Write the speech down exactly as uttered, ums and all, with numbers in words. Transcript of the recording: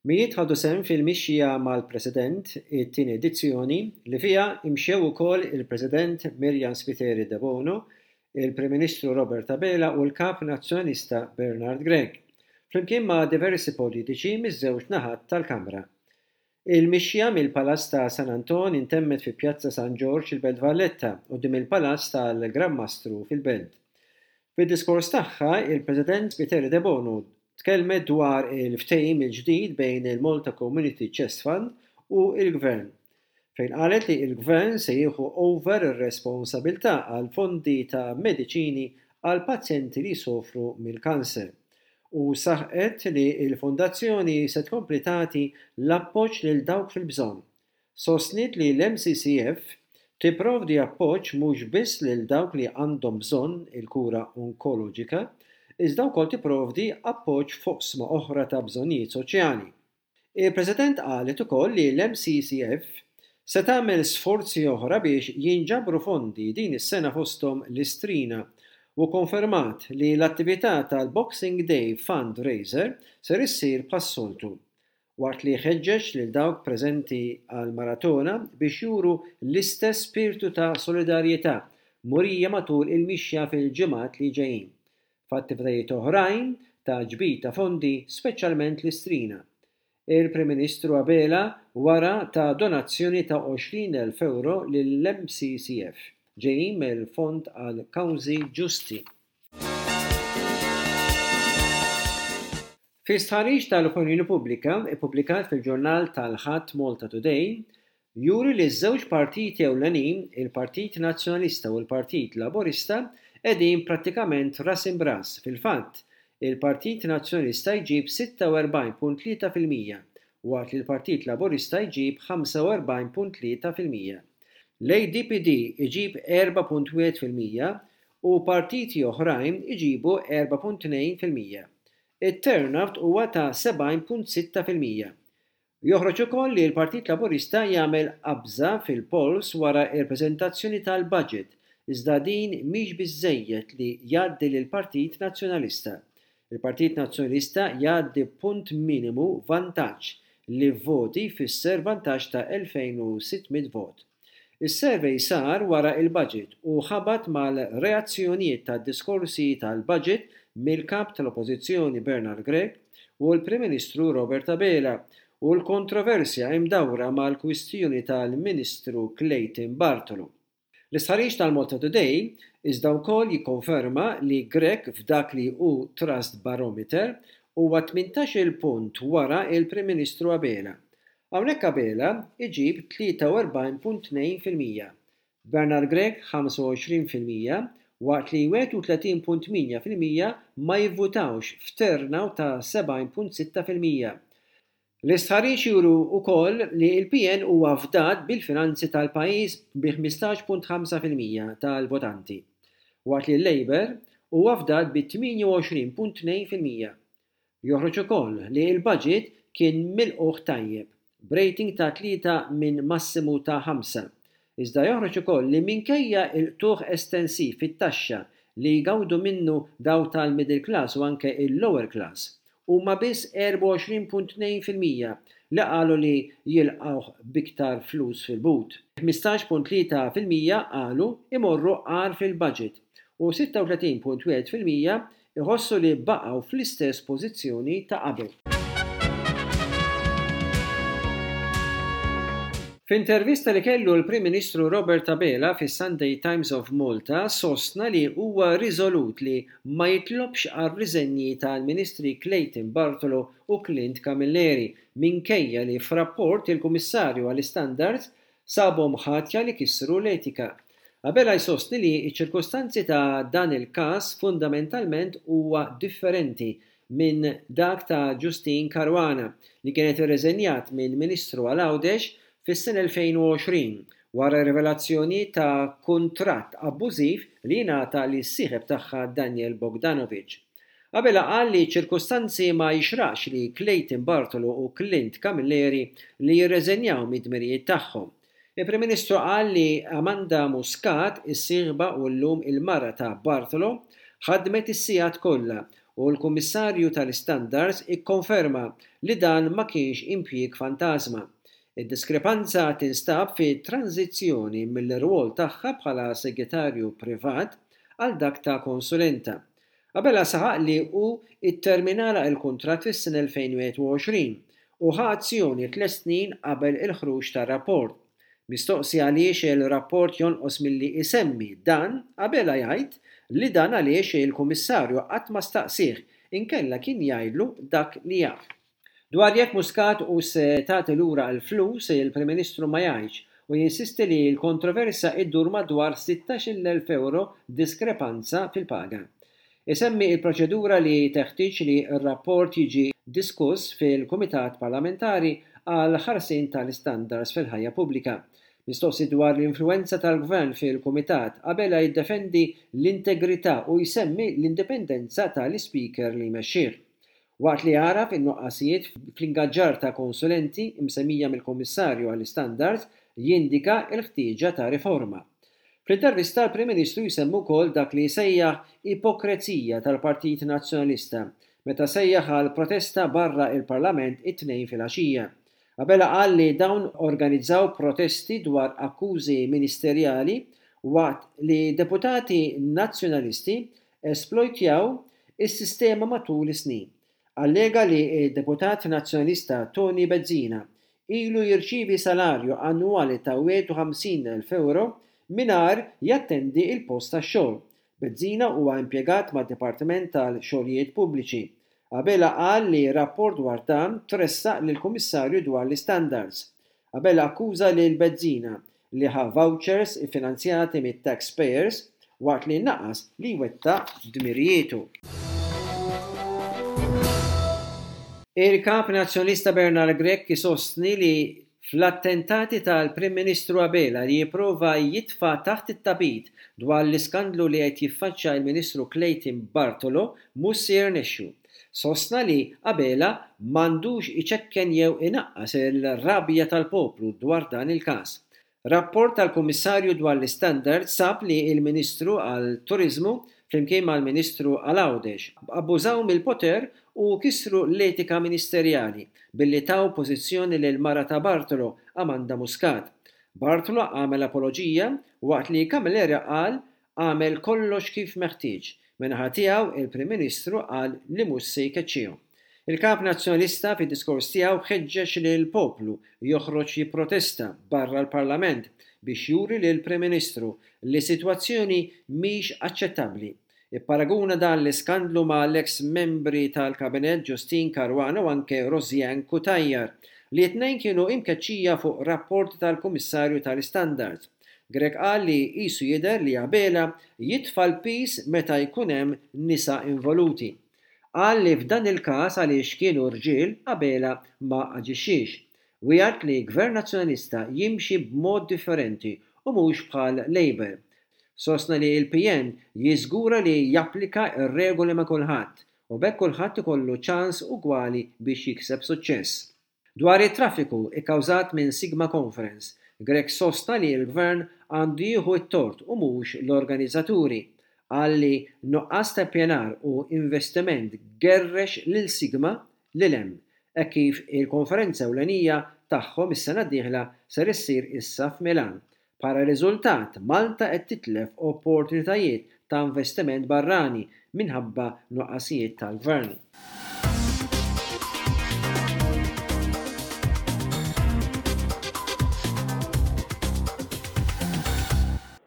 Mijiet ħadu sehem fil-mixja mal-President, it-tieni edizzjoni, li fiha imxew ukoll il-President Myriam Spiteri Debono, il-Prim Ministru Robert Abela u l-Kap Nazzjonalista Bernard Grech, flimkien ma' diversi politiċi miż-żewġ naħat tal-Kamra. Il-mixja mill-Palazz ta' San Anton intemmet fi Pjazza San Ġorġ il-Belt Valletta quddiem il-Palazz tal-Gran Mastru fil-Belt. Fid-diskors tagħha, il-President Spiteri Debono tkellmet dwar il-ftehim il-ġdid bejn il-Malta Community Chest Fund u l-Gvern, fejn qalet li l-Gvern se jieħu over ir-responsabilità għal fondi ta' mediċini għal pazjenti li jsofru mill-kanser u saħqet li l-fondazzjoni se tkompli tagħti l-appoġġ lil dawk fil-bżonn. Sostniet li l-M C C F tipprovdi appoġġ mhux biss lil dawk li għandhom bżonn il-kura onkoloġika, iżda wkoll tipprovdi appoġġ f'oqsma oħra ta' bżonnijiet soċjali. Il-President qalet ukoll li l-M C C F se tagħmel sforzi oħra biex jinġabru fondi din is-sena, fosthom l-Istrina, u konfermat li l-attività tal-Boxing Day Fundraiser ser issir bħas-soltu, waqt li ħeġġeġ lil dawk preżenti għal maratona biex juru l-istess spiritu ta' solidarjetà murija matul il-mixja fil-ġimgħat li ġejjin f'attivitajiet oħrajn ta' ġbir ta' fondi, speċjalment l-Istrina. Il-Prim Ministru Abela wara ta donazzjoni ta' għoxrin elf euro lill-M C C F ġejjin mill-Fond għal Kawżi Ġusti. Fi stħarriġ tal-opinjoni pubblika ippubblikat fil-ġurnal tal-Ħadd Malta Today, juri li ż-żewġ partiti ewlenin, il-Partit Nazzjonalista u l-Partit Laburista, qegħdin prattikament ras imb'ras. Fil-fatt, il-Partit Nazzjonalista jġib sitta u erbgħin punt tlieta fil-mija waqt li l-Partit Laburista jġib ħamsa u erbgħin punt tlieta fil-mija. L-A D P D iġib erbgħa punt wieħed fil-mija u partiti oħrajn iġibu erbgħa punt tnejn fil-mija. Il-turnout huwa ta' sebgħin punt sitta fil-mija. Joħroġ ukoll li l-Partit Laburista jagħmel qabża fil-polls wara il-preżentazzjoni tal-budget, iżda din mhix biżejjed li jgħaddi lill-Partit Nazzjonalista. Il-Partit Nazzjonalista jgħaddi punt minimu vantaġġ li voti jfisser vantaġġ ta' elfejn u sitt mitt vot. Is-survey sar wara il-budget u ħabat mal-reazzjonijiet tad-diskorsi tal-budget mill-kap tal-Oppożizzjoni Bernard Grech u l-Prim Ministru Robert Abela u l-kontroversja imdawra mal-kwistjoni tal-Ministru Clayton Bartolo. L-istħarriġ tal-Malta Today iżda wkoll jikkonferma li Grech f'dak li hu Trust Barometer huwa tmintax-il punt wara il-Prim Ministru Abela. Hawnhekk Abela iġib tlieta u erbgħin punt tnejn fil-mija, Bernard Grech ħamsa u għoxrin fil-mija waqt li wieħed u tletin punt tmienja fil-mija ma jivvutawx f'turnout ta' sebgħin punt sitta fil-mija. L-istħarriġ juru wkoll li l-P N huwa fdat bil-finanzi tal-pajjiż bi ħmistax punt ħamsa fil-mija tal-votanti, waqt li l-Labour huwa fdat bi tmienja u għoxrin punt tnejn fil-mija. Joħroġ ukoll li l-budget kien milqugħ tajjeb, b'rating ta' tlieta minn massimu ta' ħamsa. Iżda joħroġ ukoll li minkejja il-qtugħ estensiv fit-taxxa li jgawdu minnu dawk tal-middle class u anke il-lower class, huma biss erbgħa u għoxrin punt tnejn fil-mija li qalu li jilqgħu b'iktar flus fil-but. ħmistax punt tlieta fil-mija qalu imorru agħar fil-budget u sitta u tletin punt wieħed fil-mija iħossu li baqgħu fl-istess pożizzjoni ta' qabel. F'intervista li kellu l-Prim Ministru Robert Abela fis-Sunday Times of Malta, sostna li huwa riżolut li ma jitlobx għal riżenji tal-Ministri Clayton Bartolo u Clint Camilleri minkejja li f'rapport il-Kummissarju għall-Standards sabhom ħatja li kisru l-etika. Abela jsostni li ċ-ċirkostanzi ta' dan il-każ fundamentalment huwa differenti minn dak ta' Justyne Caruana, li kienet irreżenjat minn Ministru għal Għawdex fis-sena elfejn u għoxrin wara rivelazzjoni ta' kuntratt abbużiv li ngħata lis-sieħeb tagħha Daniel Bogdanovic. Abela qal li ċirkustanzi ma jixraqx li Clayton Bartolo u Clint Camilleri li jirreżenjaw mid-dmirijiet tagħhom. Il-Prim Ministru qal li Amanda Muscat, is-sieħba u llum il-mara ta' Bartolo, ħadmet is-sigħat kollha. u l-Kummissarju tal-Istandards ikkonferma li dan ma kienx impjieg fantażma. Id-diskrepanza tinstab fi tranżizzjoni mill-irwol tagħha bħala segretarju privat għal dak ta' konsulenta. Abela saħaq li hu tterminalha l-kuntratt fis-sena elfejn u wieħed u għoxrin u ħa azzjoni tliet snin qabel il-ħruġ tar-rapport. Mistoqsi għaliex il-rapport jonqos milli isemmi dan, Abela jgħid li dan għaliex il-Kummissarju qatt ma staqsih inkella kien jgħidlu dak li jaf. Dwar jekk Muscat u se tagħti lura l-flus, il-Prim Ministru ma jgħidx u jinsisti li l-kontroversja iddur madwar sittax-il elf euro diskrepanza fil-paga. Isemmi il-proċedura li teħtieġ li r-rapport jiġi diskuss fil-Kumitat Parlamentari għal ħarsien tal-istandards fil-ħajja pubblika. Mistoqsi dwar l-influenza tal-Gvern fil-Kumitat, Abela jiddefendi l-integrità u jsemmi l-indipendenza tal-Ispeaker li jmexxih. Waqt li għaraf in-nuqqasijiet fl-ingaġġar ta' konsulenti msemmija mill-Kummissarju għall-Istandards, jindika l-ħtieġa ta' riforma. Fl-intervista l-Prim Ministru jsemmu wkoll dak li sejjaħ ipokrezija tal-Partit Nazzjonalista meta sejjaħ għal protesta barra il-Parlament it-Tnejn filgħaxija. Abela qal li dawn organizzaw protesti dwar akkużi ministerjali waqt li deputati nazzjonalisti esplojtjaw is-sistema matul is-snin. Allega li d-deputat nazzjonalista Tony Bezzina ilu jirċievi salarju annwali ta' wieħed u ħamsin elf euro mingħajr jattendi il-post tax-xogħol. Bezzina huwa impjegat mad-Dipartiment tal-Xogħlijiet Pubbliċi. Abela qal li rapport dwar dan tressaq lill-Kummissarju dwar l-Istandards. Abela akkuża lil Bezzina li ħa vouchers iffinanzjati mit-taxpayers waqt li naqas li jwettaq dmirijietu. Il-Kap Nazzjonalista Bernard Grech isostni li fl-attentati tal-Prim Ministru Abela li jipprova jitfa' taħt it-tapit dwar l-iskandlu li qed jiffaċċja il-Ministru Clayton Bartolo mhux se jirnexxu. Sostna li Abela m'għandux iċekken jew inaqqas il-rabja tal-poplu dwar dan il-każ. Rapport tal-Kummissarju dwar l-Istandards sab li il-Ministru għal-Turiżmu flimkien mal-Ministru għal Għawdex abbużaw mill-poter u kisru l-etika ministerjali billi taw pożizzjoni lil mara ta' Bartolo, Amanda Muscat. Bartolo għamel apoloġija waqt li Camilleri qal għamel kollox kif meħtieġ. Min-naħa tiegħu il-Prim Ministru qal li mhux se jkeċċihom. Il-Kap Nazzjonalista fid-diskors tiegħu ħeġġeġ lil poplu joħroġ jipprotesta barra l-Parlament biex juri lil Prim Ministru li sitwazzjoni mhix aċċettabbli. Ipparaguna dan l-iskandlu ma' l-eks membri tal-Kabinett Justyne Caruana u anke Rosianne Cutajar li t-tnejn kienu imkeċċija fuq rapport tal-Kummissarju tal-Istandards. Grech qal li qisu jidher li Abela jitfa' l-pis meta jkun hemm nisa involuti. Qal li f'dan il-każ għaliex kienu rġiel Abela ma aġixxiex. Wiegħed li Gvern Nazzjonalista jimxi b'mod differenti u mhux bħal Labour. Sostna li l-P N jiżgura li japplika r-regoli ma' kulħadd u b'hekk kulħadd ikollu ċans ugwali biex jikseb suċċess. Dwar it-traffiku ikkawżat minn Sigma Conference, Grech sostna li l-Gvern għandu jieħu t-tort u mhux l-organizzaturi. Qal li nuqqas ta' pjanar u investiment gerrex lil Sigma lil hemm, hekk kif il-konferenza ewlenija tagħhom is-sena d-dieħla ser issir issa f'Milan. Bħala riżultat, Malta qed titlef opportunitajiet ta' investiment barrani minħabba nuqqasijiet tal-gvern.